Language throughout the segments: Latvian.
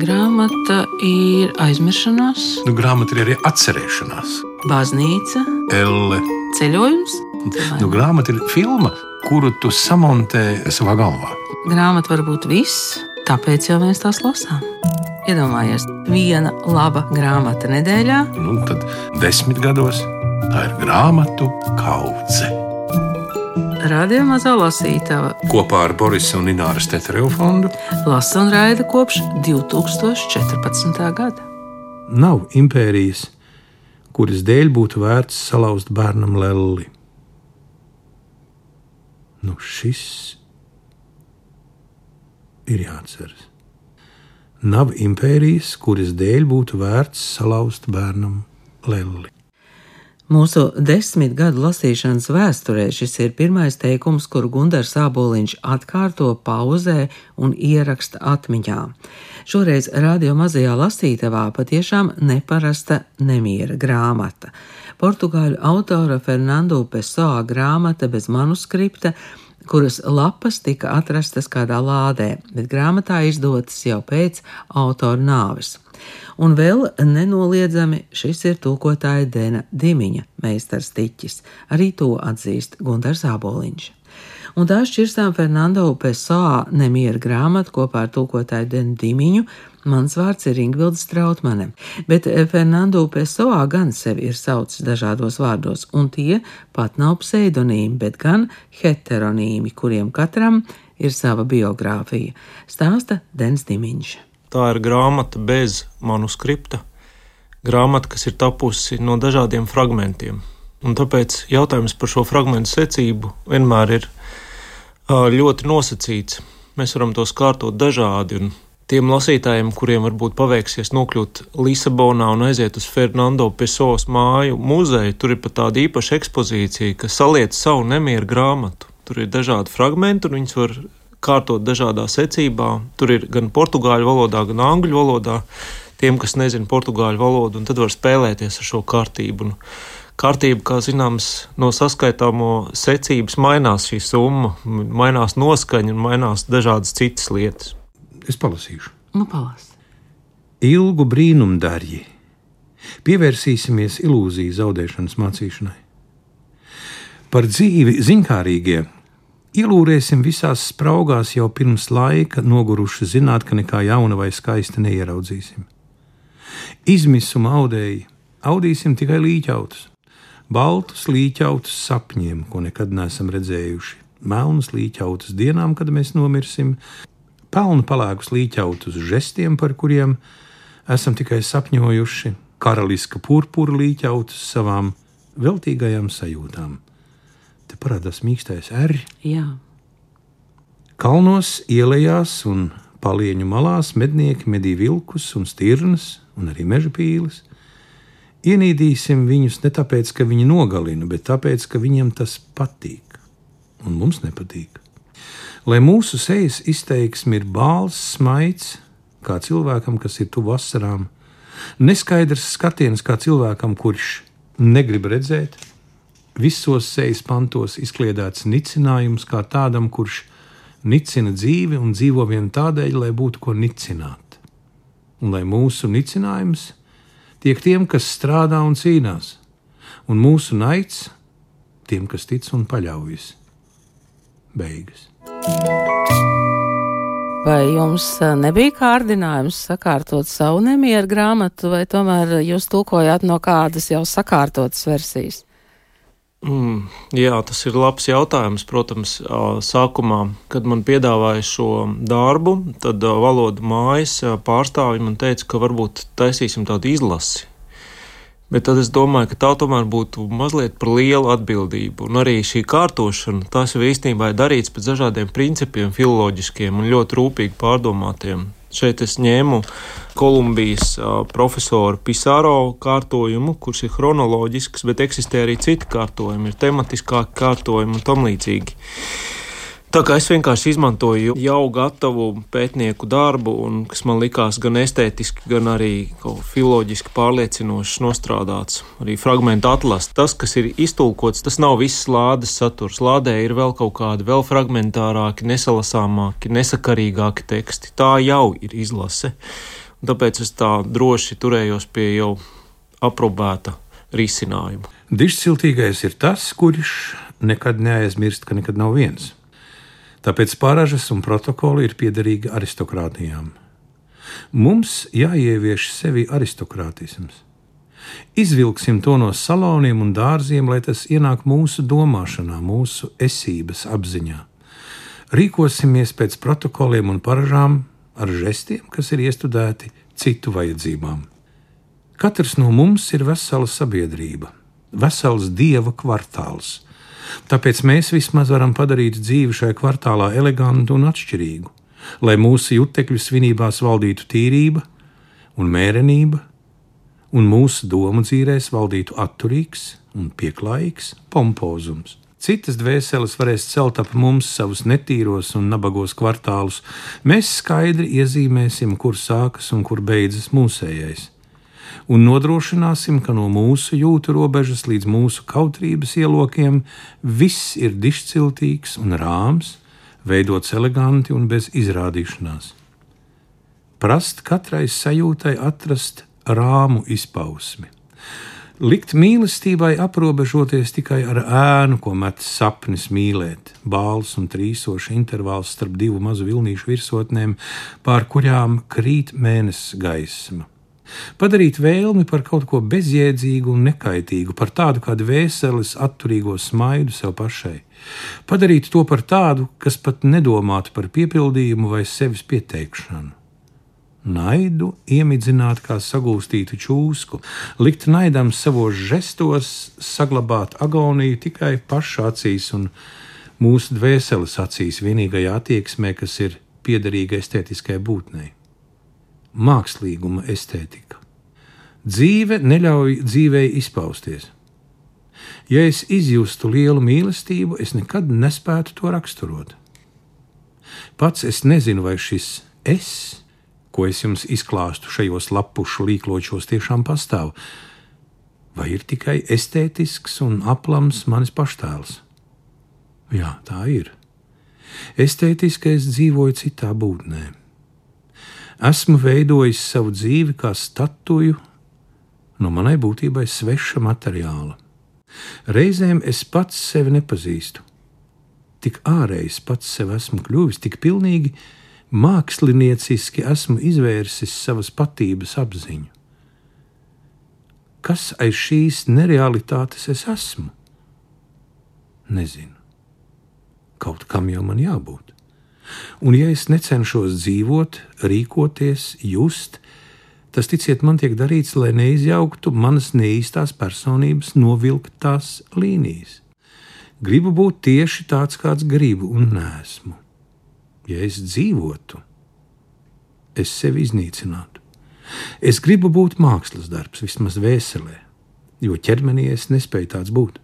Grāmata ir aizmiršanās. Grāmata ir arī atcerēšanās. Baznīca. Elle. Ceļojums. Grāmata ir filma, kuru tu samontē savā galvā. Grāmata var būt viss, tāpēc jau mēs tās lasām. Iedomājies, viena laba grāmata nedēļā. Tad 10 gados tā ir grāmatu kaudze. Radio Mazā lasītava Kopā ar Borisa un Ināras Teterevu fondu lasa un raida kopš 2014. gada. Nav impērijas, kuras dēļ būtu vērts salauzt bērnam lelli. Šis ir jāatceras. Nav impērijas, kuras dēļ būtu vērts salauzt bērnam lelli. Mūsu 10 gadu lasīšanas vēsturē šis ir pirmais teikums, kuru Gundars Āboliņš atkārto, pauzē un ieraksta atmiņā. Šoreiz Radio Mazajā lasītavā patiešām neparasta nemiera grāmata. Portugāļu autora Fernando Pessoa grāmata bez manuskripta, kuras lapas tika atrastas kādā lādē, bet grāmatā izdotas jau pēc autora nāves. Un vēl nenoliedzami šis ir tulkotāja Dena Dimiņa meistars tiķis. Arī to atzīst Gundars Āboliņš. Un tā šķirstām Fernando Pessoa nemiera grāmatu kopā ar tulkotāju Denu Dimiņu. Mans vārds ir Ingvilde Strautmane, bet Fernando Pessoa gan sevi ir saucis dažādos vārdos, un tie pat nav pseidonīmi, bet gan heteronīmi, kuriem katram ir sava biogrāfija, stāsta Dens Dimiņš. Tā ir grāmata bez manuskripta, grāmata, kas ir tapusi no dažādiem fragmentiem. Un tāpēc jautājums par šo fragmentu secību vienmēr ir ļoti nosacīts. Mēs varam tos kārtot dažādi, un tiem lasītājiem, kuriem varbūt paveiksies nokļūt Lisabonā un aiziet uz Fernando Pessoas māju muzeju, tur ir pat tāda īpaša ekspozīcija, kas saliec savu nemieru grāmatu. Tur ir dažādi fragmenti, un viņus var kārtot dažādā secībā. Tur ir gan portugāļu valodā, gan angļu valodā. Tiem, kas nezina portugāļu valodu, un tad var spēlēties ar šo kārtību. Un kārtība, kā zināms, no saskaitāmo secības mainās šī summa, mainās noskaņa un mainās dažādas citas lietas. Es palasīšu. Palas. Ilgu brīnumdarji. Pievērsīsimies ilūziju zaudēšanas mācīšanai. Par dzīvi ziņkārīgie ielūrēsim visās spraugās jau pirms laika, noguruši zināt, ka nekā jauna vai skaista neieraudzīsim. Izmisuma audīsim tikai līķautus, baltus līķautus sapņiem, ko nekad neesam redzējuši, melnus līķautus dienām, kad mēs nomirsim, pelnu palēkus līķautus žestiem, par kuriem esam tikai sapņojuši, karaliska purpura līķautus savām veltīgajām sajūtām. Te parādās mīkstais R. Jā. Kalnos, ielējās un palieņu malās mednieki medī vilkus un stirnas un arī meža pīles. Ienīdīsim viņus ne tāpēc, ka viņi nogalina, bet tāpēc, ka viņiem tas patīk un mums nepatīk. Lai mūsu sejas izteiksme ir bāls, smaids, kā cilvēkam, kas ir tuvu vasarām, neskaidrs skatiens kā cilvēkam, kurš negrib redzēt, visos sejas pantos izkliedēts nicinājums kā tādam, kurš nicina dzīvi un dzīvo vien tādēļ, lai būtu ko nicināt. Un lai mūsu nicinājums tiek tiem, kas strādā un cīnās, un mūsu naids tiem, kas tic un paļaujas. Beigas. Vai jums nebija kārdinājums sakārtot savu nemieru grāmatu, vai tomēr jūs tulkojāt no kādas jau sakārtotas versijas? Jā, tas ir labs jautājums. Protams, sākumā, kad man piedāvāja šo darbu, tad valodu mājas pārstāvji man teica, ka varbūt taisīsim tādu izlasi. Bet tad es domāju, ka tā tomēr būtu mazliet par lielu atbildību. Un arī šī kārtošana, tās jau īstenībā ir darīts pēc dažādiem principiem, filoloģiskiem un ļoti rūpīgi pārdomātiem. Šeit es ņēmu Kolumbijas profesoru Pisaro kārtojumu, kurš ir chronoloģisks, bet eksistē arī citi kārtojumi, ir tematiskāki kārtojumi un tam līdzīgi. Tā kā es vienkārši izmantoju jau gatavu pētnieku darbu, un kas man likās gan estētiski, gan arī filoloģiski pārliecinoši nostrādāts, arī fragmentu atlas. Tas, kas ir iztulkots, tas nav viss lādes saturs. Lādē ir vēl kaut kādi vēl fragmentārāki, nesalasāmāki, nesakarīgāki teksti. Tā jau ir izlase. Tāpēc es tā droši turējos pie jau aprobēta risinājuma. Dižciltīgais ir tas, kurš nekad neaizmirst, ka nekad nav viens. Tāpēc paražas un protokoli ir piederīgi aristokrātijām. Mums jāievieš sevi aristokrātisms. Izvilksim to no saloniem un dārziem, lai tas ienāk mūsu domāšanā, mūsu esības apziņā. Rīkosimies pēc protokoliem un paražām ar žestiem, kas ir iestudēti citu vajadzībām. Katrs no mums ir vesela sabiedrība, vesels dieva kvartāls. Tāpēc mēs vismaz varam padarīt dzīvi šajā kvartālā elegantu un atšķirīgu, lai mūsu jutekļu svinībās valdītu tīrība un mērenība, un mūsu domu dzīrēs valdītu atturīgs un pieklājīgs pompozums. Citas dvēseles varēs celt ap mums savus netīros un nabagos kvartālus. Mēs skaidri iezīmēsim, kur sākas un kur beidzas mūsējais, un nodrošināsim, ka no mūsu jūtu robežas līdz mūsu kautrības ielokiem viss ir dižciltīgs un rāms, veidots eleganti un bez izrādīšanās. Prast katrai sajūtai atrast rāmu izpausmi. Likt mīlestībai aprobežoties tikai ar ēnu, ko met sapnis mīlēt, bāls un trīsoši intervāls starp divu mazu vilnīšu virsotnēm, pār kurām krīt mēnesis gaisma. Padarīt vēlmi par kaut ko bezjēdzīgu un nekaitīgu, par tādu kā dvēseles atturīgo smaidu sev pašai. Padarīt to par tādu, kas pat nedomātu par piepildījumu vai sevis pieteikšanu. Naidu iemidzināt kā sagūstītu čūsku, likt naidam savos žestos, saglabāt agoniju tikai paša acīs un mūsu dvēseles acīs, vienīgajā attieksmē, kas ir piederīga estētiskai būtnei. Mākslīguma estētika. Dzīve neļauj dzīvei izpausties. Ja es izjustu lielu mīlestību, es nekad nespētu to raksturot. Pats es nezinu, vai šis es, ko es jums izklāstu šajos lapušu līkločos, tiešām pastāv, vai ir tikai estētisks un aplams manis paštēls. Jā, tā ir. Estētiski es dzīvoju citā būtnē. Esmu veidojis savu dzīvi kā statuju no manai būtībai sveša materiāla. Reizēm es pats sevi nepazīstu. Tik ārējs pats sev esmu kļuvis, tik pilnīgi mākslinieciski esmu izvērsis savas patības apziņu. Kas aiz šīs nerealitātes es esmu? Nezinu. Kaut kam jau man jābūt. Un ja es necenšos dzīvot, rīkoties, just, tas, ticiet, man tiek darīts, lai neizjauktu manas neīstās personības novilktās līnijas. Gribu būt tieši tāds, kāds gribu, un neesmu. Ja es dzīvotu, es sevi iznīcinātu. Es gribu būt mākslas darbs, vismaz vēselē, jo ķermenī es nespēju tāds būt.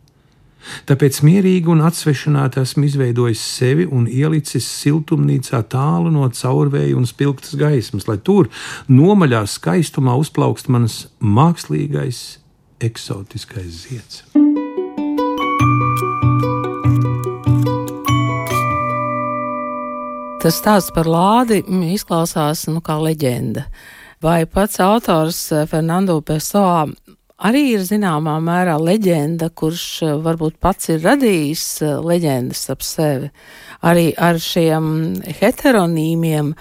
Tāpēc mierīgi un atsvešināti esmu izveidojis sevi un ielicis siltumnīcā tālu no caurvēja un spilgtas gaismas, lai tur nomaļā skaistumā uzplaukst manas mākslīgais, eksotiskais zieds. Tas stāsts par lādi izklausās kā leģenda. Vai pats autors Fernando Pessoa arī ir zināmā mērā leģenda, kurš varbūt pats ir radījis leģendas ap sevi? Arī ar šiem heteronīmiem,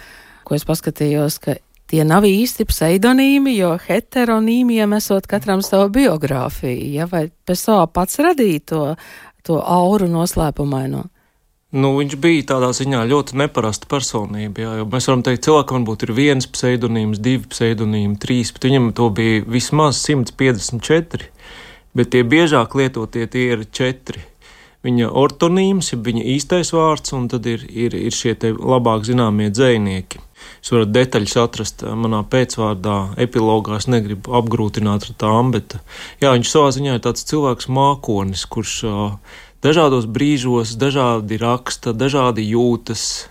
ko es paskatījos, ka tie nav īsti pseidonīmi, jo heteronīmiem esot katram savu biogrāfiju. Ja? Vai Pessoa pats radīja to auru noslēpumaino? Viņš bija tādā ziņā ļoti neparasta personība. Jā, jo mēs varam teikt, cilvēkam varbūt ir 1 pseidonīms, 2 pseidonīmi, 3, bet viņam to bija vismaz 154, bet tie biežāk lietotie tie ir 4. Viņa ortonīms, ja viņa īstais vārds, un tad ir šie te labāk zināmie dzejnieki. Jūs varat detaļas atrast manā pēcvārdā, epilogā, es negribu apgrūtināt ar tām, bet jā, viņš savā ziņā ir tāds cilvēks mākonis, kurš dažādos brīžos, dažādi raksta, dažādi jūtas.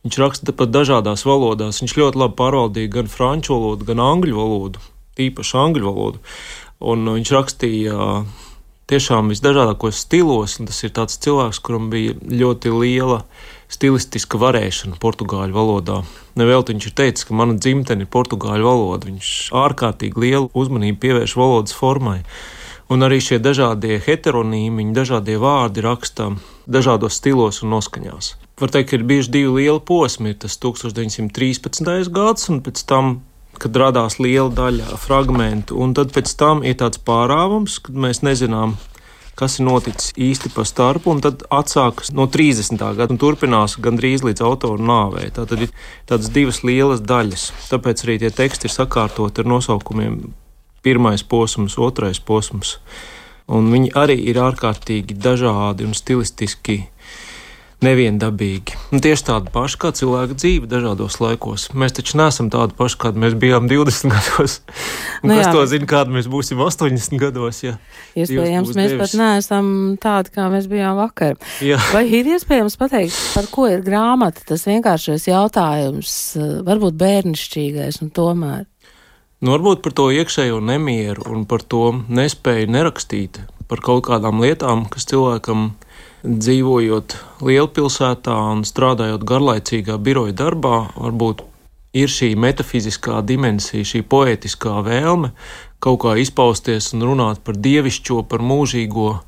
Viņš raksta pat dažādās valodās. Viņš ļoti labi pārvaldīja gan franču valodu, gan angļu valodu, īpaši angļu valodu. Un viņš rakstīja tiešām visdažādākos stilos, un tas ir tāds cilvēks, kuram bija ļoti liela stilistiska varēšana portugāļu valodā. Nevelti viņš ir teicis, ka mana dzimtene ir portugāļu valoda. Viņš ārkārtīgi lielu uzmanību pievērš valodas formai. Un arī šie dažādie heteronīmi, dažādie vārdi raksta dažādos stilos un noskaņās. Var teikt, ka ir bijuši 2 lieli posmi. Ir tas 1913. gads un pēc tam, kad radās liela daļa fragmentu. Un tad pēc tam ir tāds pārāvums, kad mēs nezinām, kas ir noticis īsti pa starpu, un tad atsākas no 30. gada un turpinās gandrīz līdz autora nāvei. Tātad ir tādas 2 lielas daļas. Tāpēc arī tie teksti ir sakārtoti ar nosaukumiem 1. posms, 2. posms. Un viņi arī ir ārkārtīgi dažādi un stilistiski neviendabīgi. Un tieši tādi paši kā cilvēka dzīve dažādos laikos. Mēs taču neesam tādi paši, kādi mēs bijām 20 gados. Un kas to zina, kādi mēs būsim 80 gados, ja iespējams, mēs pat neesam tādi, kā mēs bijām vakar. Jā. Vai ir iespējams pateikt, par ko ir grāmata? Tas vienkāršais jautājums, varbūt bērnišķīgais un tomēr. Varbūt par to iekšējo nemieru un par to nespēju nerakstīt, par kaut kādām lietām, kas cilvēkam dzīvojot lielpilsētā un strādājot garlaicīgā biroja darbā, varbūt ir šī metafiziskā dimensija, šī poētiskā vēlme kaut kā izpausties un runāt par dievišķo, par mūžīgo,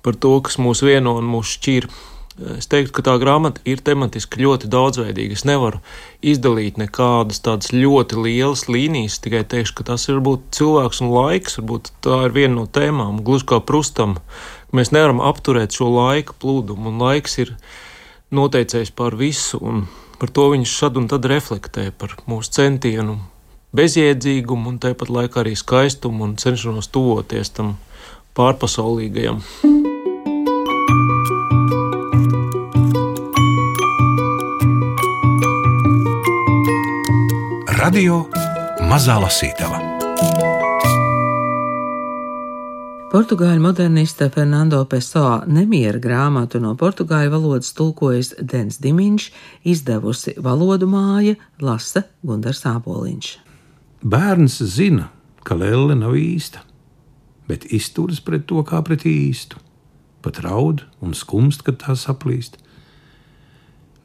par to, kas mūs vieno un mūs šķir. Es teiktu, ka tā grāmata ir tematiski ļoti daudzveidīga. Es nevaru izdalīt nekādas tādas ļoti lielas līnijas, tikai teikšu, ka tas ir varbūt cilvēks un laiks, varbūt tā ir viena no tēmām, gluži kā Prustam. Mēs nevaram apturēt šo laika plūdumu, un laiks ir noteicējis pār visu, un par to viņš šad un tad reflektē par mūsu centienu bezjēdzīgumu un tāpat laikā arī skaistumu un cenšanos tuvoties tam pārpasaulīgajam. Radio Mazā lasītava. Portugāļu modernista Fernando Pessoa nemiera grāmatu no portugāļu valodas tulkojas Dens Dimiņš, izdevusi Valodu māja, lasa Gundars Āboliņš. Bērns zina, ka lelle nav īsta, bet izturas pret to kā pret īstu, pat raud un skumst, kad tā saplīst.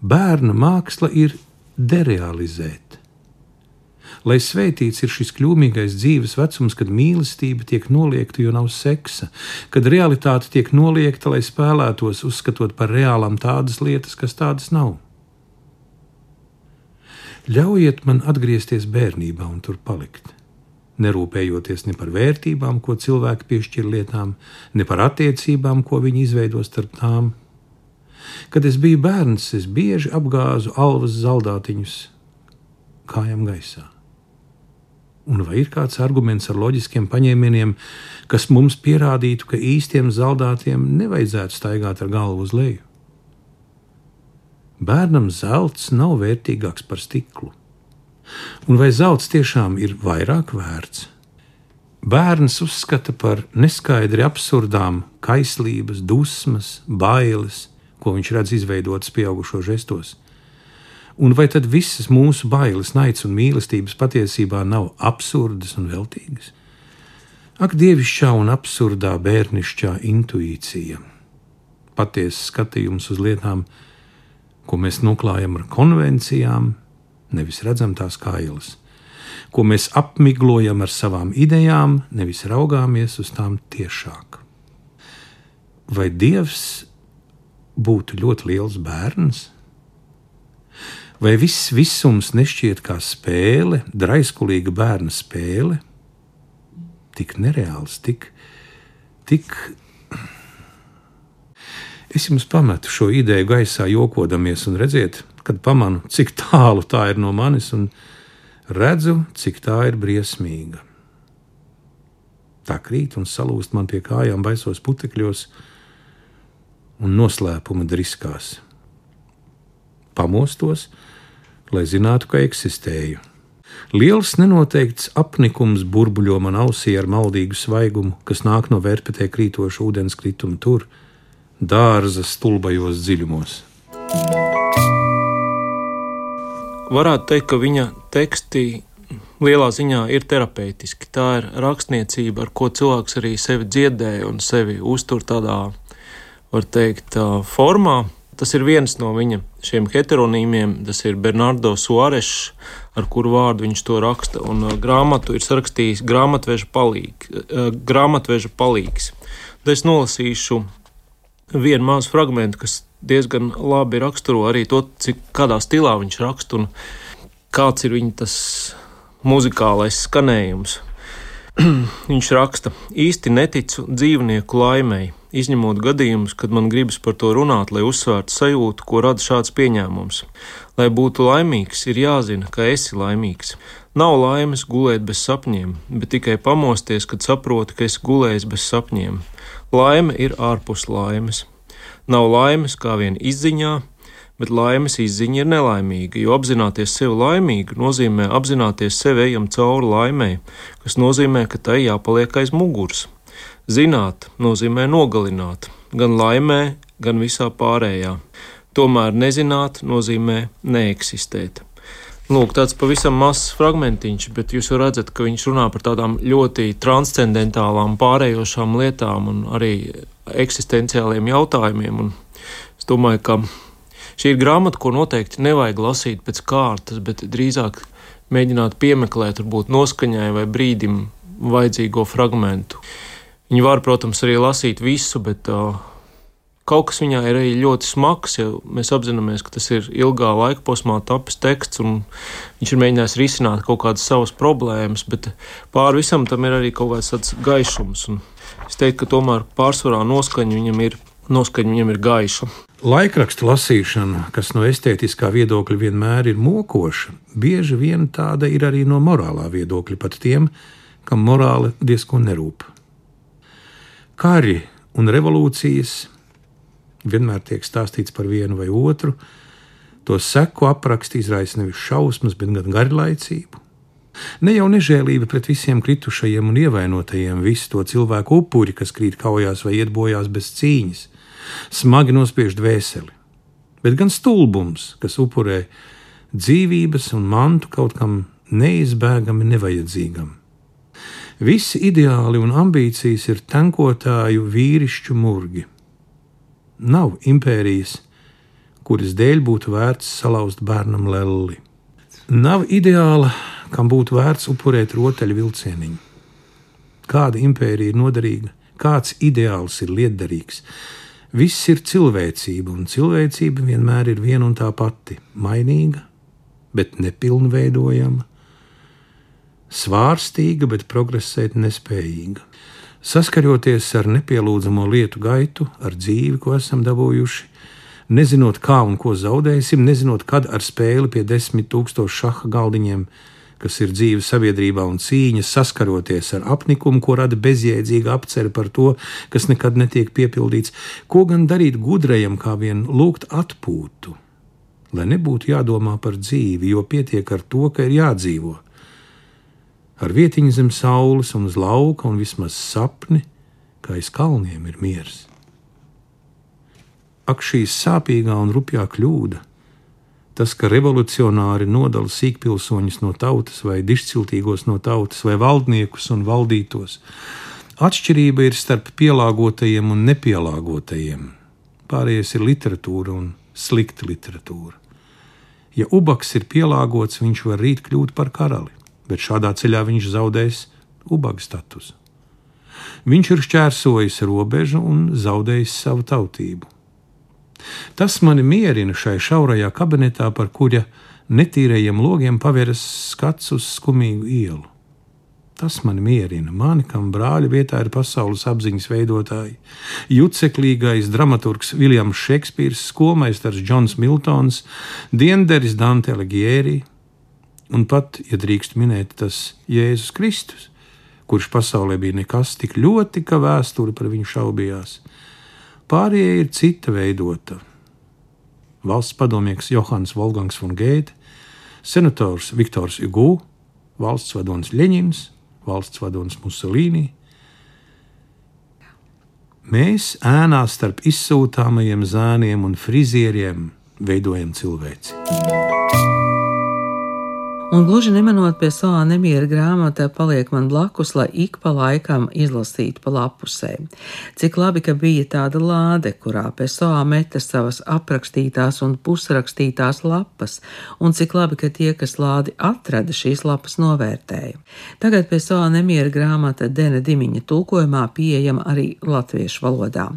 Bērna māksla ir derealizēt. Lai sveitīts ir šis kļūmīgais dzīves vecums, kad mīlestība tiek noliegta, jo nav seksa, kad realitāte tiek noliegta, lai spēlētos, uzskatot par reālām tādas lietas, kas tādas nav. Ļaujiet man atgriezties bērnībā un tur palikt, nerūpējoties ne par vērtībām, ko cilvēki piešķir lietām, ne par attiecībām, ko viņi izveido starp tām. Kad es biju bērns, es bieži apgāzu alvas zaldātiņus kājām gaisā. Un vai ir kāds arguments ar loģiskiem paņēmieniem, kas mums pierādītu, ka īstiem zaldātiem nevajadzētu staigāt ar galvu uz leju? Bērnam zelts nav vērtīgāks par stiklu. Un vai zelts tiešām ir vairāk vērts? Bērns uzskata par neskaidri absurdām kaislības, dusmas, bailes, ko viņš redz izveidotas pieaugušo žestos. Un vai tad visas mūsu bailes, naids un mīlestības patiesībā nav absurdas un veltīgas? Ak, dievišķā un absurdā bērnišķā intuīcija, patiesas skatījums uz lietām, ko mēs noklājam ar konvencijām, nevis redzam tās kā ielas, ko mēs apmiglojam ar savām idejām, nevis raugāmies uz tām tiešāk. Vai Dievs būtu ļoti liels bērns? Vai viss visums nešķiet kā spēle, draiskulīga bērna spēle? Tik nereāls, tik... Es jums pametu šo ideju gaisā jokodamies un redziet, kad pamanu, cik tālu tā ir no manis un redzu, cik tā ir briesmīga. Tā krīt un salūst man pie kājām baisos putekļos un noslēpuma driskās. Pamostos, lai zinātu, ka eksistēju. Liels nenoteikts apnikums burbuļo man ausī ar maldīgu svaigumu, kas nāk no vērpetē krītoša ūdenskrituma tur, dārza stulbajos dziļumos. Varētu teikt, ka viņa teksti lielā ziņā ir terapeitiski. Tā ir rakstniecība, ar ko cilvēks arī sevi dziedē un sevi uztur tādā, var teikt, formā, Tas ir viens no viņa šiem heteronīmiem, tas ir Bernardo Suarešs, ar kuru vārdu viņš to raksta, un grāmatu ir sarakstījis grāmatveža palīgs. Tad es nolasīšu vienu mazu fragmentu, kas diezgan labi raksturo arī to, kādā stilā viņš raksta un kāds ir viņa tas muzikālais skanējums. Viņš raksta: īsti neticu dzīvnieku laimei, izņemot gadījumus, kad man gribas par to runāt, lai uzsvērtu sajūtu, ko rada šāds pieņēmums. Lai būtu laimīgs, ir jāzina, ka esi laimīgs. Nav laimes gulēt bez sapņiem, bet tikai pamosties, kad saproti, ka esi gulējis bez sapņiem. Laime ir ārpus laimes. Nav laimes kā vien izziņā, bet laimes izziņa ir nelaimīga, jo apzināties sevi laimīgu nozīmē apzināties sevi ejam cauri laimei, kas nozīmē, ka tai jāpaliek aiz muguras. Zināt nozīmē nogalināt, gan laimē, gan visā pārējā. Tomēr nezināt nozīmē neeksistēt. Lūk, tāds pavisam mazs fragmentiņš, bet jūs redzat, ka viņš runā par tādām ļoti transcendentālām pārējošām lietām un arī eksistenciāliem jautājumiem. Un es domāju, ka šī ir grāmata, ko noteikti nevajag lasīt pēc kārtas, bet drīzāk mēģināt piemeklēt, varbūt noskaņai vai brīdim vajadzīgo fragmentu. Viņi var, protams, arī lasīt visu, bet kaut kas viņā ir arī ļoti smags, ja mēs apzināmies, ka tas ir ilgā laika posmā tapis teksts, un viņš ir mēģinājis risināt kaut kādas savas problēmas, bet pāri visam tam ir arī kaut kāds tāds gaišums. Un es teiktu, ka tomēr pārsvarā noskaņa viņam ir gaiša. Laikraksta lasīšana, kas no estētiskā viedokļa vienmēr ir mokoša, bieži vien tāda ir arī no morālā viedokļa, pat tiem, kam morāli diezko nerūp. Kari un revolūcijas vienmēr tiek stāstīts par vienu vai otru, to seku apraksti izraisa nevis šausmas, bet gan garlaicību. Ne jau nežēlība pret visiem kritušajiem un ievainotajiem, visu to cilvēku upuri, kas krīt kaujās vai iet bojās bez cīņas, smagi nospiež dvēseli, bet gan stulbums, kas upurē dzīvības un mantu kaut kam neizbēgami nevajadzīgam. Visi ideāli un ambīcijas ir tankotāju vīrišķu murgi. Nav impērijas, kuras dēļ būtu vērts salauzt bērnam lelli. Nav ideāla, kam būtu vērts upurēt rotaļu vilcieniņu. Kāda impērija ir noderīga, kāds ideāls ir lietderīgs. Viss ir cilvēcība, un cilvēcība vienmēr ir viena un tā pati – mainīga, bet nepilnveidojama, svārstīga, bet progresēt nespējīga. Saskaroties ar nepielūdzamo lietu gaitu, ar dzīvi, ko esam dabūjuši, nezinot kā un ko zaudēsim, nezinot kad ar spēli pie 10,000 šaha galdiņiem, kas ir dzīve sabiedrībā un cīņa, saskaroties ar apnikumu, ko rada bezjēdzīga apcere par to, kas nekad netiek piepildīts, ko gan darīt gudrajam, kā vien lūgt atpūtu, lai nebūtu jādomā par dzīvi, jo pietiek ar to, ka ir jādzīvo. Ar vietiņu zem saules un uz lauka un vismaz sapni, ka aiz kalniem ir miers. Ak, šī sāpīgā un rupjā kļūda, tas, ka revolucionāri nodala sīkpilsoņus no tautas vai dišciltīgos no tautas vai valdniekus un valdītos. Atšķirība ir starp pielāgotajiem un nepielāgotajiem. Pārējais ir literatūra un slikta literatūra. Ja ubaks ir pielāgots, viņš var rīt kļūt par karali, bet šādā ceļā viņš zaudēs ubaga statusu. Viņš ir šķērsojis robežu un zaudējis savu tautību. Tas mani mierina šai šaurajā kabinetā, par kura netīrajiem logiem paveras skats uz skumīgu ielu. Tas mani mierina, mani, kam brāļa vietā ir pasaules apziņas veidotāji, juceklīgais dramaturgs Viljams Šekspīrs, skolmeistars Džons Miltons, dienderis Dante Alighieri, un pat, ja drīkst minēt, tas Jēzus Kristus, kurš pasaulē bija nekas tik ļoti, ka vēsture par viņu šaubījās. Pārējie ir cita veidota. Valsts padomnieks Johanns Wolfgangs von Goethe, senators Viktors Hugo, valsts vadonis Ļeņins, valsts vadonis Mussolini. Mēs ēnā starp izsūtāmajiem zēniem un frizieriem veidojam cilvēci. Un gluži nemanot Pessoa nemiera grāmata paliek man blakus, lai ik pa laikam izlasītu pa lapusēm. Cik labi, ka bija tāda lāde, kurā Pessoa meta savas aprakstītās un pusrakstītās lapas, un cik labi, ka tie, kas lādi atrada, šīs lapas novērtēja. Tagad Pessoa nemiera grāmata Dena Dimiņa tulkojumā pieejama arī latviešu valodā.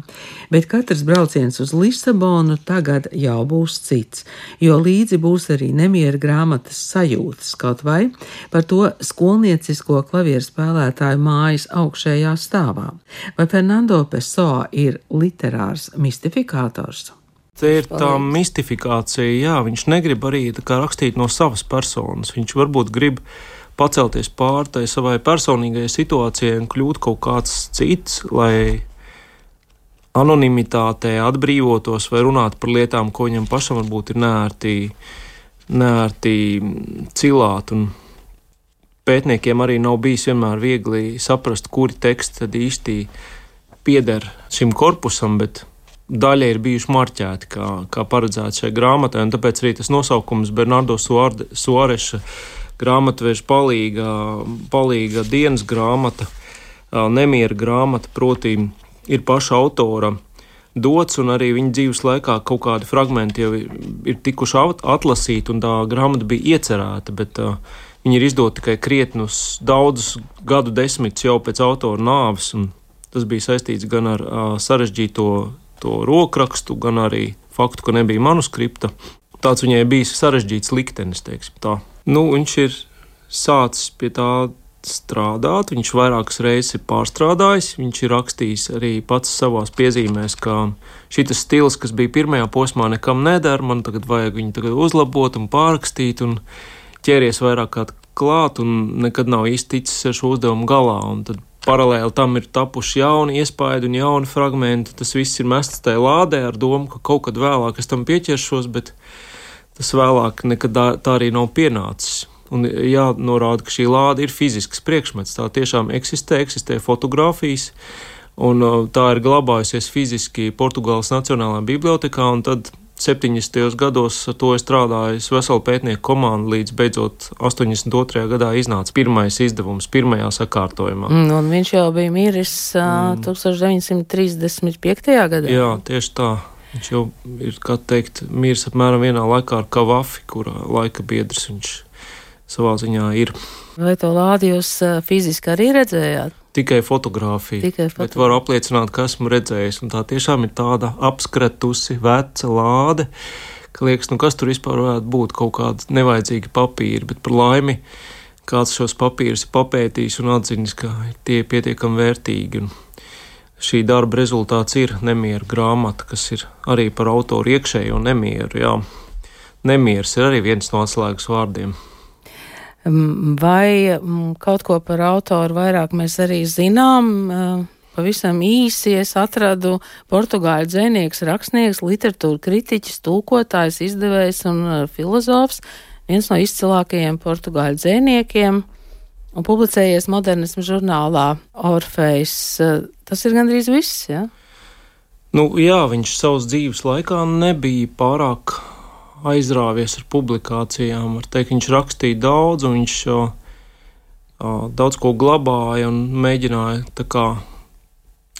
Bet katrs brauciens uz Lisabonu tagad jau būs cits, jo līdzi būs arī nemiera grāmatas sajūtas, kaut vai par to skolniecisko klavieru spēlētāju mājas augšējā stāvā. Vai Fernando Pessoa ir literārs mistifikators? Te ir tā mistifikācija, jā, viņš negrib arī tā kā rakstīt no savas personas. Viņš varbūt grib pacelties pār tai savai personīgajai situācijai un kļūt kaut kāds cits, lai anonimitātē atbrīvotos vai runāt par lietām, ko viņam pašam varbūt ir neērti cilāt, un pētniekiem arī nav bijis vienmēr viegli saprast, kuri teksti tad īsti pieder šim korpusam, bet daļa ir bijuši marķēti, kā paredzēts šai grāmatai, un tāpēc arī tas nosaukums Bernardo Suareša grāmatveža palīga dienas grāmata, nemiera grāmata, proti ir paša autora dots, un arī viņa dzīves laikā kaut kādi fragmenti jau ir tikuši atlasīti, un tā grāmata bija iecerēta, bet viņa ir izdota tikai krietnus daudzus gadu desmitus jau pēc autora nāves, un tas bija saistīts gan ar sarežģīto to rokrakstu, gan arī faktu, ka nebija manuskripta. Tāds viņai bija sarežģīts liktenis, teiksim tā. Viņš ir sācis pie tā strādāt, viņš vairākas reizes ir pārstrādājis, viņš ir rakstījis arī pats savās piezīmēs, ka šitas stils, kas bija pirmajā posmā, nekam neder, man tagad vajag viņu tagad uzlabot un pārrakstīt, un ķēries vairāk kā klāt, un nekad nav īsti ticis ar šo uzdevumu galā, un tad paralēli tam ir tapuši jauni iespaidi un jauni fragmenti, tas viss ir mests tajā lādē ar domu, ka kaut kad vēlāk es tam pieķeršos, bet tas vēlāk nekad tā arī nav pienācis. Un jānorāda, ka šī lāde ir fizisks priekšmets, tā tiešām eksistē fotogrāfijas, un tā ir glabājusies fiziski Portugāles Nacionālajā bibliotekā, un tad 70. gados ar to strādājas vesela pētnieku komanda, līdz beidzot 82. gadā iznāca pirmais izdevums, pirmajā sakārtojumā. Un viņš jau bija miris 1935. gadā. Jā, tieši tā. Viņš jau ir, kā teikt, miris apmēram vienā laikā ar Kavafi, kura laika biedrs viņš savā ziņā ir. Vai to lādi jūs fiziski arī redzējāt? Tikai fotogrāfija, bet varu apliecināt, ka esmu redzējis, un tā tiešām ir tāda apskretusi veca lāde, ka liekas, kas tur vispār varētu būt, kaut kādi nevajadzīgi papīri, bet par laimi kāds šos papīrus ir papētījis un atzinis, ka tie ir pietiekami vērtīgi, un šī darba rezultāts ir nemiera grāmata, kas ir arī par autoru iekšējo nemieru, jā. Nemieris ir arī viens no atslēgas vārdiem. Vai kaut ko par autoru vairāk mēs arī zinām? Pavisam īsi es atradu portugāļu dzejnieks, rakstnieks, literatūra kritiķis, tulkotājs, izdevējs un filozofs, viens no izcilākajiem portugāļu dzejniekiem un publicējies modernismu žurnālā Orfejs. Tas ir gandrīz viss, ja? Jā, viņš savas dzīves laikā nebija pārāk aizrāvies ar publikācijām. Var teikt, viņš rakstīja daudz, un viņš daudz ko glabāja un mēģināja tā kā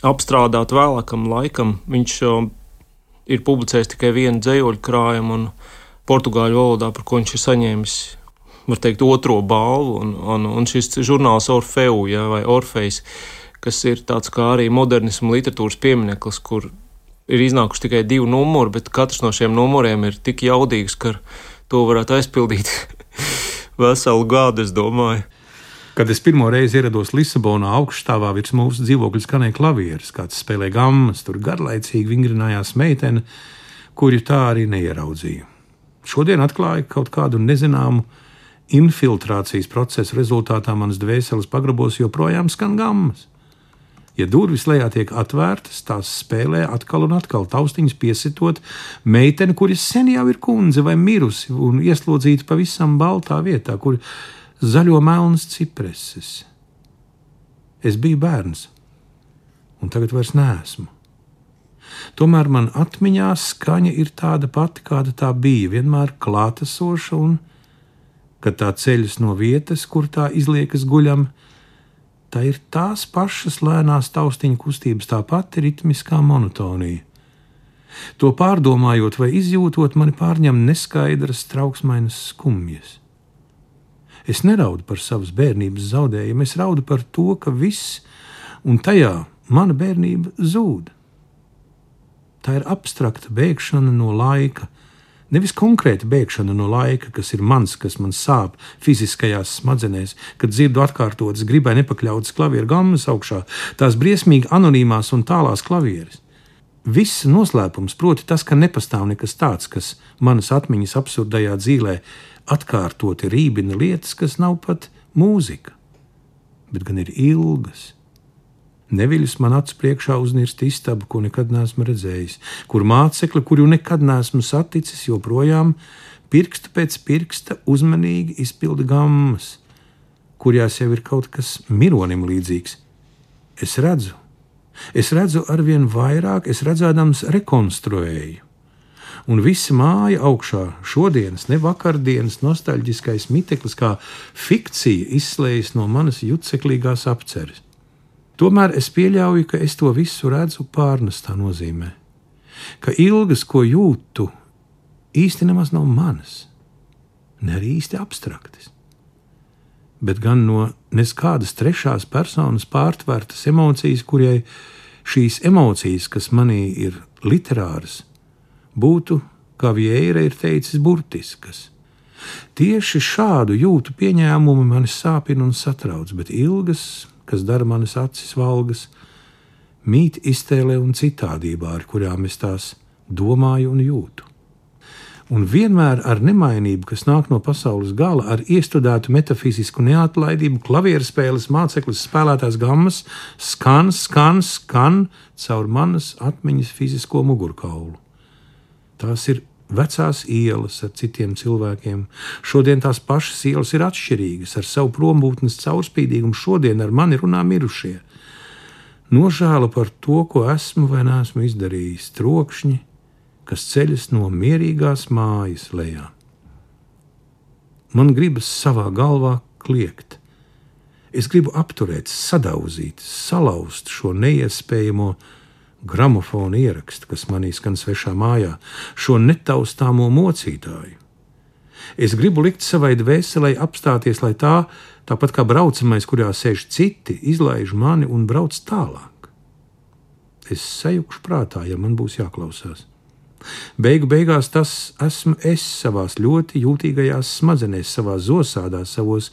apstrādāt vēlākam laikam. Viņš ir publicējis tikai vienu dzejoļu krājumu un portugāļu valodā, par ko viņš ir saņēmis, var teikt, otro balvu, un šis žurnāls Orfeu, vai Orfejs, kas ir tāds kā arī modernismu literatūras piemineklis, kur ir iznākuši tikai 2 numuri, bet katrs no šiem numuriem ir tik jaudīgs, ka to varētu aizpildīt veselu gadu, es domāju. Kad es pirmo reizi ierados Lisabonā, augšstāvā virs mūsu dzīvokļa skanēja klavieres, kāds spēlē gammas, tur garlaicīgi vingrinājās meitene, kuru tā arī neieraudzīju. Šodien atklāja kaut kādu nezināmu infiltrācijas procesu rezultātā manas dvēseles pagrabos joprojām skan gammas. Ja durvis lejā tiek atvērtas, tās spēlē atkal un atkal, taustiņas piesitot meiteni, kuras sen jau ir kundze vai mirusi un ieslodzīta pavisam baltā vietā, kur zaļo melnas cipreses. Es biju bērns, un tagad vairs neesmu. Tomēr man atmiņā skaņa ir tāda pati, kāda tā bija, vienmēr klātesoša un kad tā ceļas no vietas, kur tā izliekas guļam, tā ir tās pašas lēnās taustiņu kustības, tā pati ritmiskā monotonija. To pārdomājot vai izjūtot, mani pārņem neskaidras, trauksmainas skumjas. Es neraudu par savas bērnības zaudējumu, es raudu par to, ka viss, un tajā mana bērnība zūd. Tā ir abstrakta bēgšana no laika, nevis konkrēta bēgšana no laika, kas ir mans, kas man sāp fiziskajās smadzenēs, kad dzirdu atkārtotas, gribai nepakļautas klavieru gammas augšā, tās briesmīgi anonīmās un tālās klavieres. Viss noslēpums, proti tas, ka nepastāv nekas tāds, kas manas atmiņas absurdajā dzīlē atkārtoti rībina lietas, kas nav pat mūzika, bet gan ir ilgas. Neviļus man acu priekšā uznirst istabu, ko nekad neesmu redzējis, kur mācekli, kuru nekad neesmu saticis, joprojām pirkstu pēc pirksta uzmanīgi izpilda gammas, kurjās jau ir kaut kas mironim līdzīgs. Es redzu arvien vairāk, es redzēdams rekonstruēju. Un visa māja augšā, šodienas, ne vakardienas nostalģiskais miteklis kā fikcija izslējas no manas jutceklīgās apceres. Tomēr es pieļauju, ka es to visu redzu pārnestā nozīmē, ka ilgas, ko jūtu, īsti nemaz nav manas, ne arī īsti abstraktas, bet gan no neskādas trešās personas pārtvērtas emocijas, kurai šīs emocijas, kas manī ir literāras, būtu, kā Vieira ir teicis, burtiskas. Tieši šādu jūtu pieņēmumu mani sāpina un satrauc, bet ilgas, kas dara manas acis valgas, mīt iztēlē un citādībā, ar kurām es tās domāju un jūtu. Un vienmēr ar nemainību, kas nāk no pasaules gala, ar iestudētu metafizisku neatlaidību, klavierspēles māceklis spēlētās gammas skan caur manas atmiņas fizisko mugurkaulu. Tās ir vecās ielas ar citiem cilvēkiem. Šodien tās pašas ielas ir atšķirīgas, ar savu prombūtnes caurspīdīgumu. Šodien ar mani runā mirušie. Nožēla par to, ko esmu vai neesmu izdarījis, trokšņi, kas ceļas no mierīgās mājas lejā. Man gribas savā galvā kliegt. Es gribu apturēt, sadauzīt, salauzt šo neiespējamo gramofona ierakstu, kas manī skan svešā mājā, šo netaustāmo mocītāju. Es gribu likt savai dvēselei apstāties, lai tā, tāpat kā braucamais, kurā sēž citi, izlaiž mani un brauc tālāk. Es sajukšu prātā, ja man būs jāklausās. Beigās tas esmu es savās ļoti jūtīgajās smadzenēs, savā zosādā, savos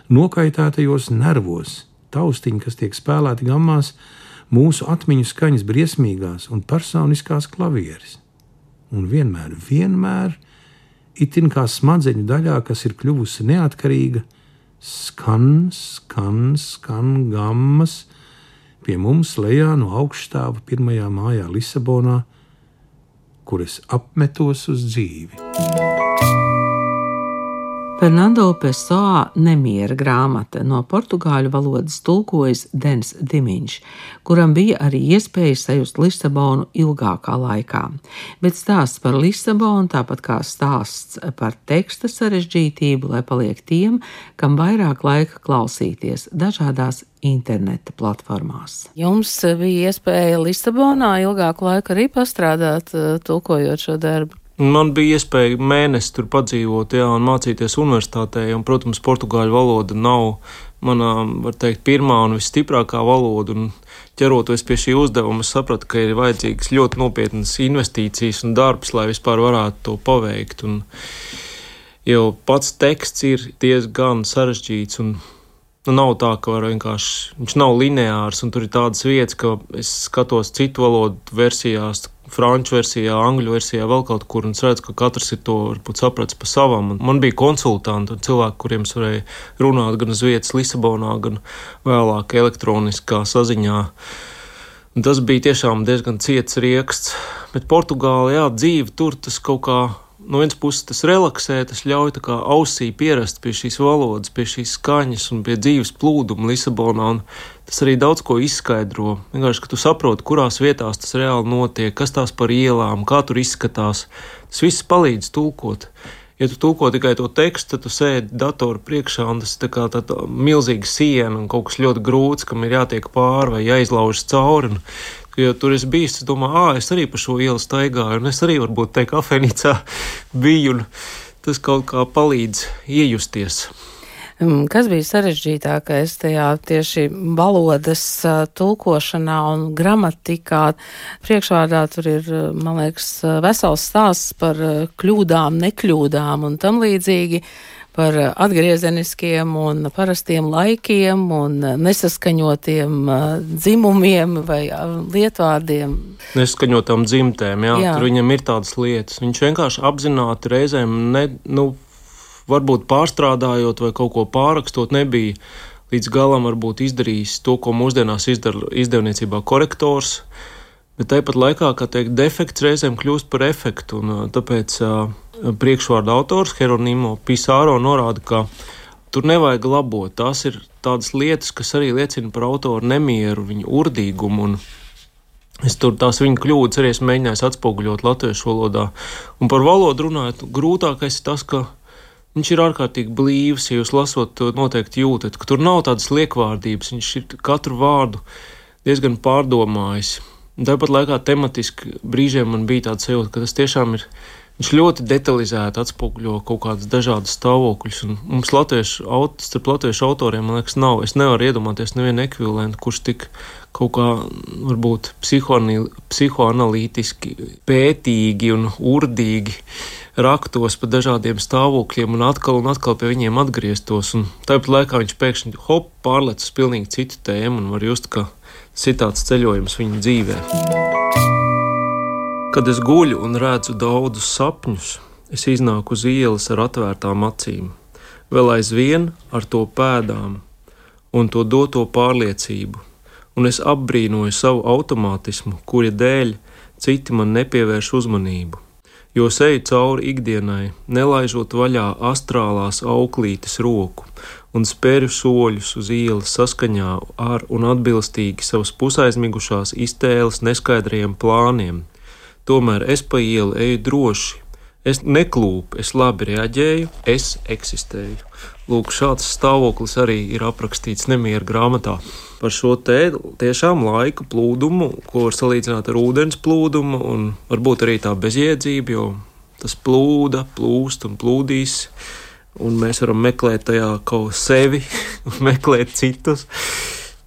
nokaitētajos nervos, taustiņi, kas tiek spēlēti gammās, mūsu atmiņu skaņas briesmīgās un personiskās klavieres. Un vienmēr, itin kā smadzeņu daļā, kas ir kļuvusi neatkarīga, skan gammas pie mums lejā no augšstāva pirmajā mājā Lisabonā, kur es apmetos uz dzīvi. Fernando Pessoa Nemiera grāmata no portugāļu valodas tulkojas Dens Dimiņš, kuram bija arī iespēja sajust Lisabonu ilgākā laikā. Bet stāsts par Lisabonu, tāpat kā stāsts par teksta sarežģītību, lai paliek tiem, kam vairāk laika klausīties dažādās interneta platformās. Jums bija iespēja Lisabonā ilgāku laiku arī pastrādāt, tulkojot šo darbu? Man bija iespēja mēnesi tur padzīvot, un mācīties universitātē, un, protams, portugāļu valoda nav manā, var teikt, pirmā un visstiprākā valoda, un ķeroties pie šī uzdevuma, es sapratu, ka ir vajadzīgas ļoti nopietnas investīcijas un darbs, lai vispār varētu to paveikt, un jau pats teksts ir diezgan sarežģīts, un nav tā, ka var vienkārši, viņš nav lineārs, un tur ir tādas vietas, ka es skatos citu valodu versijās, franču versijā, angļu versijā, vēl kaut kur, un es redzu, ka katrs ir to varbūt sapratis pa savam. Un man bija konsultanti un cilvēki, kuriem es varēju runāt gan uz vietas Lisabonā, gan vēlāk elektroniskā saziņā. Un tas bija tiešām diezgan ciets rieksts, bet Portugāla, dzīve tur tas kaut kā, no vienas puses tas relaksē, tas ļauj tā kā ausī pierast pie šīs valodas, pie šīs skaņas un pie dzīves plūduma Lisabonā, un tas arī daudz ko izskaidro. Vienkārši, ka tu saproti, kurās vietās tas reāli notiek, kas tās par ielām, kā tur izskatās. Tas viss palīdz tulkot. Ja tu tulko tikai to tekstu, tad tu sēdi datoru priekšā, un tas ir tā kā tāda milzīga siena un kaut kas ļoti grūts, kam ir jātiek pāri vai jāizlaužas cauri. Un, ja tur es biju, es domāju, es arī pa šo ielu staigāju, un es arī varbūt te kafejnīcā biju, un tas kaut kā palīdz iejusties. Kas bija sarežģītākais tajā tieši valodas tulkošanā un gramatikā? Priekšvārdā tur ir, man liekas, vesels stāsts par kļūdām, nekļūdām un tam līdzīgi, par atgriezeniskiem un parastiem laikiem un nesaskaņotiem dzimumiem vai lietvārdiem. Nesaskaņotām dzimtēm, jā. Tur viņam ir tādas lietas. Viņš vienkārši apzināti reizēm varbūt pārstrādājot vai kaut ko pārrakstot, nebija līdz galam varbūt izdarījis to, ko mūsdienās izdara izdevniecībā korektors, bet tāpat laikā, kā teikt, defekts reizēm kļūst par efektu, un tāpēc priekšvārda autors Hieronimo Pisaro norāda, ka tur nevajag labot. Tās ir tādas lietas, kas arī liecina par autoru nemieru, viņa urdīgumu, un es tur tās viņa kļūdas arī esmu mēģinājis atspoguļot latviešu valodā. Un par valodu runājot, grūtākais ir tas, ka viņš ir ārkārtīgi blīvs, ja jūs lasot to noteikti jūtat, ka tur nav tādas liekvārdības, viņš ir katru vārdu diezgan pārdomājis. Un tāpat laikā tematiski brīžiem man bija tāds sajūta, ka tas tiešām ir, viņš ļoti detalizēti atspoguļo kaut kādas dažādas stāvokļus, un mums starp latviešu autoriem, man liekas, nav. Es nevaru iedomāties nevienu ekvivalentu, kurš tik kaut kā varbūt psihoanalītiski pētīgi un urdīgi raktos pa dažādiem stāvokļiem un atkal pie viņiem atgrieztos. Un tāpat laikā viņš pēkšņi pārlec uz pilnīgi citu tēmu un var just, ka tas ir tāds ceļojums viņa dzīvē. Kad es guļu un redzu daudzus sapņus, es iznāku uz ielas ar atvērtām acīm, vēl aizvien ar to pēdām un to doto pārliecību, un es apbrīnoju savu automātismu, kura dēļ citi man nepievērš uzmanību. Jo eju cauri ikdienai, nelaižot vaļā astrālās auklītes roku un spēru soļus uz ielas saskaņā ar un atbilstīgi savas pusaizmigušās iztēles neskaidrajiem plāniem. Tomēr es pa ielu eju droši, es neklūpu, es labi reaģēju, es eksistēju. Lūk, šāds stāvoklis arī ir aprakstīts Nemiera grāmatā. Par šo tiešām laika plūdumu, ko var salīdzināt ar ūdens plūdumu, un varbūt arī tā bezjēdzība, jo tas plūst un plūdīs, un mēs varam meklēt tajā kaut sevi, meklēt citus,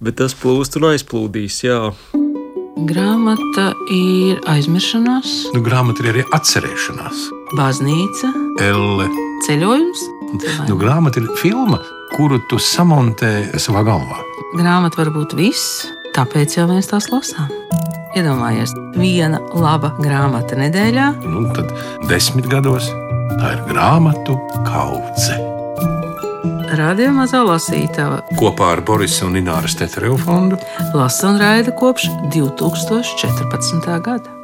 bet tas plūst un aizplūdīs, jā. Grāmata ir aizmiršanās. Grāmata ir arī atcerēšanās. Baznīca. Elle. Ceļojums. Grāmata ir filma, kuru tu samontē savā galvā. Grāmata var būt viss, tāpēc jau mēs tās lasām. Iedomājies, viena laba grāmata nedēļā. Tad 10 gados tā ir grāmatu kaudze. Radio Mazā lasītava Kopā ar Borisa un Ināras Teterevu fondu lasa un raida kopš 2014. gada.